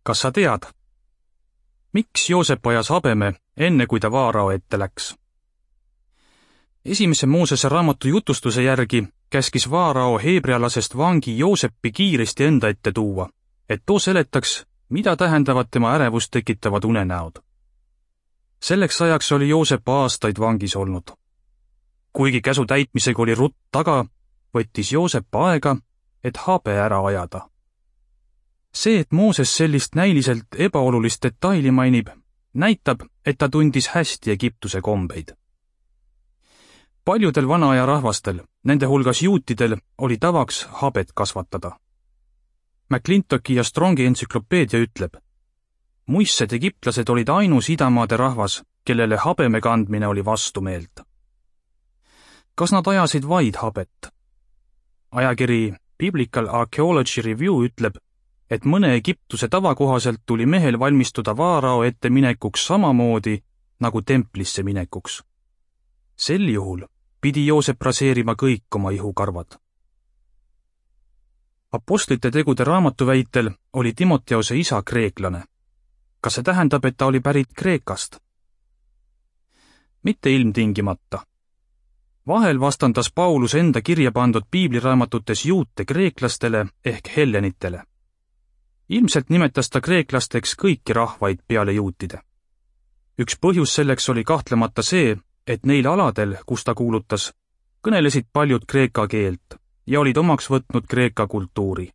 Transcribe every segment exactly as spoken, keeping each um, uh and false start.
Kas sa tead, miks Joosep ajas habeme enne, kui ta Vaarao ette läks? Esimese Moosese raamatu jutustuse järgi käskis Vaarao heebrealasest vangi Joosepi kiiresti enda ette tuua, et too seletaks, mida tähendavad tema ärevust tekitavad unenäod. Selleks ajaks oli Joosep aastaid vangis olnud. Kuigi käsu täitmisega oli rutt taga, võttis Joosep aega, et habe ära ajada. See, et Mooses sellist näiliselt ebaolulist detaili mainib, näitab, et ta tundis hästi Egiptuse kombeid. Paljudel vanaaja rahvastel, nende hulgas juutidel, oli tavaks habet kasvatada. McClintocki ja Strongi entsüklopeedia ütleb, muistsed egiptlased olid ainus idamaade rahvas, kellele habeme kandmine oli vastumeelt. Kas nad ajasid vaid habet? Ajakiri Biblical Archaeology Review ütleb, et mõne Egiptuse tavakohaselt tuli mehel valmistuda Vaarao ette minekuks samamoodi nagu templisse minekuks. Sel juhul pidi Joosep raseerima kõik oma ihukarvad. Apostlite tegude raamatu väitel oli Timoteose isa kreeklane. Kas see tähendab, et ta oli pärit Kreekast? Mitte ilmtingimata. Vahel vastandas Paulus enda kirja pandud piibliraamatutes juute kreeklastele ehk hellenitele. Ilmselt nimetas ta kreeklasteks kõiki rahvaid peale juutide. Üks põhjus selleks oli kahtlemata see, et neil aladel, kus ta kuulutas, kõnelesid paljud kreeka keelt ja olid omaks võtnud kreeka kultuuri.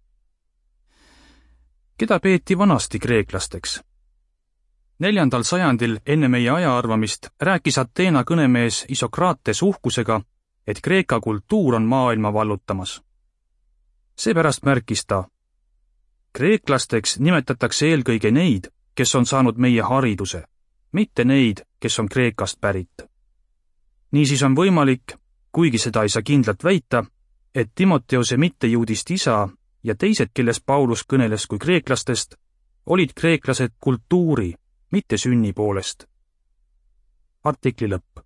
Keda peeti vanasti kreeklasteks? Neljandal sajandil enne meie ajaarvamist rääkis Ateena kõnemees Isokrates uhkusega, et kreeka kultuur on maailma vallutamas. Seepärast märkis ta, kreeklasteks nimetatakse eelkõige neid, kes on saanud meie hariduse, mitte neid, kes on Kreekast pärit. Niisiis on võimalik, kuigi seda ei saa kindlalt väita, et Timoteose mittejuudist isa ja teised, kellest Paulus kõneles kui kreeklastest, olid kreeklased kultuuri, mitte sünni poolest. Artikli lõpp.